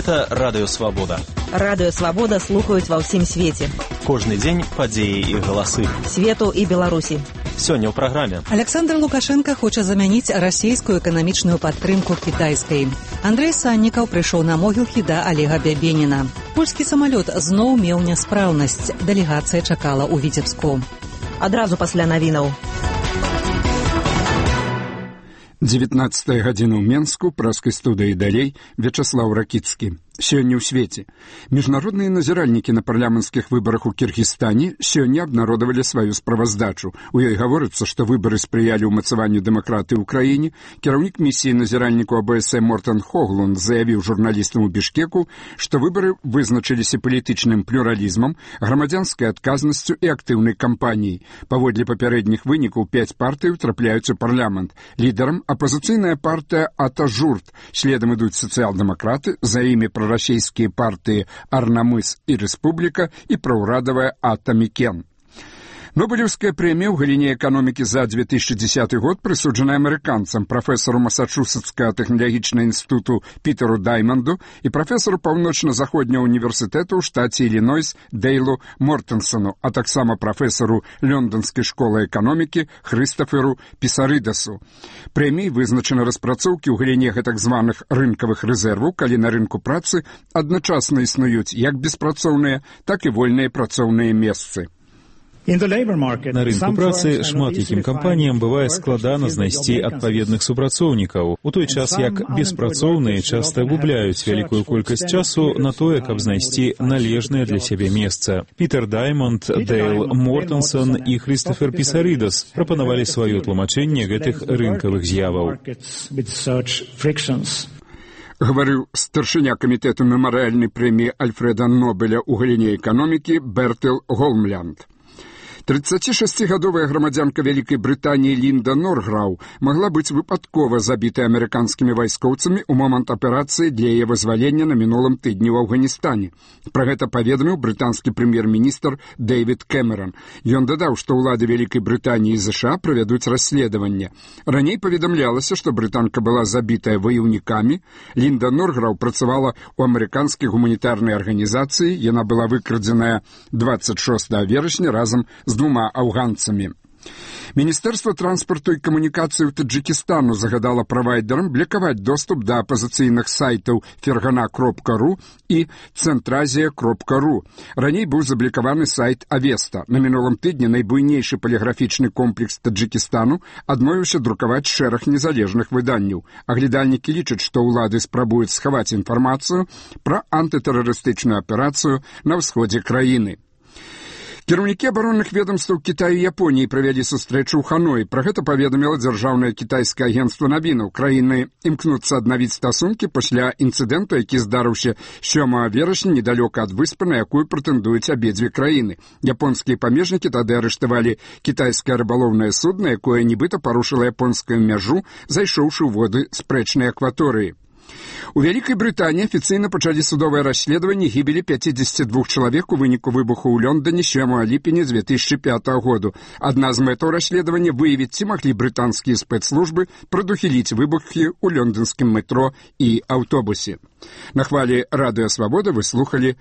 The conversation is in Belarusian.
Гэта Радыё Свабода. Радыё Свабода слухаюць ва ўсім свеце. Кожны дзень падзеі і галасы. Свету і Беларусі. Сёння ў праграме. Александр Лукашенко хоча замяніць расійскую эканамічную падтрымку кітайскай. Андрэй Саннікаў прыйшоў на могілкі да Олега Бябеніна. Польскі самалёт зноў меў няспраўнасць. Дэлегацыя чакала ў Віцебску. Адразу пасля навінаў. 19 гадзіна ў Менску, праскай студыі далей, Вячаслаў Ракіцкі. Сёння ў свеце. Міжнародныя назіральнікі на парламенцкіх выбарах у Кіргізстане сёння абнародавалі сваю справаздачу. У ёй гаворыцца, што выбары спрыялі ўмацаванню дэмакратыі ў краіне. Кіраўнік місіі назіральніку АБС Мортен Хоглунд заявіў журналістам у Бішкеку, што выбары вызначыліся палітычным плюралізмам, грамадзянскай адказнасцю і актыўнай кампаніяй. Паводле папярэдніх вынікаў 5 партый трапляюць у парламент. Лідарам апазіцыйная партыя Атажурт, следам ідуць сацыял-дэмакраты, за імі прарасійскія партыі Арнамыс і Рэспубліка і праўрадавая Атамікен. Нобелевская прэмія ў галіне эканомікі за 2010 год прысуджана амерыканцам, прафесару Масачусетскага тэхналагічнага інстытуту Пітеру Дайманду і прафесару Паўночна-заходняга універсітэту ў штаце Ілінойс Дейлу Мортенсону, а таксама прафесару Лёндонскай школы эканомікі Хрыстаферу Пісарыдасу. Прэміяй вызначаны распрацоўкі ў галіне гэтак званых рынкавых рэзерваў, калі на рынку працы адначасна існуюць як беспрацоўныя, так і вольныя працоўныя месцы. На рынку працы шмат якім кампаніям бывае складана знайсці адпаведных супрацоўнікаў, у той час як беспрацоўныя часта губляюць вялікую колькасць часу на тое, каб знайсці належнае для сябе месца. Пітер Даймонд, Дейл Мортенсон і Хрыстафер Пісарыдас прапанавалі сваё тлумачэнне гэтых рынкавых з'яваў. Гаварыў старшыня камітэту мемарыяльнай прэміі Альфрэда Нобеля ў галіне эканомікі Бертел Голмлянд. 36-гадовая грамадзянка Вялікай Брытаніі Лінда Норграу магла быць выпадкова забітай амерыканскімі вайскоўцамі ў момант аперацыі для яе вызвалення на мінулым тыдні ў Афганістане. Пра гэта паведаміў брытанскі прэм'ер-міністр Дэвід Кэмерон. Ён дадаў, што ўлады Вялікай Брытаніі і ЗША правядуць расследаванне. Раней паведамлялася, што брытанка была забітая ваяўнікамі. Лінда Норграу працавала ў амерыканскай гуманітарнай арганізацыі. Яна была выкрадзеная 26 верасня разам з 2 афганцамі. Міністэрства транспарту і камунікацыі ў Таджыкістану загадала правайдерам блакаваць доступ да апазіцыйных сайтаў Фергана.ру і Центразія.ру. Раней быў заблакаваны сайт Авеста. На мінулым тыдні найбуйнейшы паліграфічны комплекс Таджыкістану адмовіўся друкаваць шэраг незалежных выданняў. Аглядальнікі лічаць, што ўлады спрабуюць схаваць інфармацыю пра антытэрарыстычную аперацыю на ўсходзе краіны. Кіраўнікі абаронных ведомстваў Кітаю і Японіі правялі сустрэчу ў Ханоі. Пра гэта паведаміла дзяржаўнае кітайскае агенцтва навінаў. Краіны імкнуцца аднавіць стасункі пасля інцыдэнту, які здарыўся 7 верасня недалёка ад выспы, на якую прэтэндуюць абедзве краіны. Японскія памежнікі тады арыштавалі кітайскае рыбалоўнае судна, якое нібыта парушыла японскую мяжу, зайшоўшы ў воды спрэчнай акваторыі. У Вялікай Брытаніі афіцыйна пачалі судовае расследаванне гібелі 52 чалавек у выніку выбуху ў Лондоне 7 ліпеня 2005 году. Адна з мэтаў расследавання выявіць, ці маглі брытанскія спецслужбы прадухіліць выбухі ў лондонскім метро і аўтобусе. На хвалі Радыё Свабода вы слухалі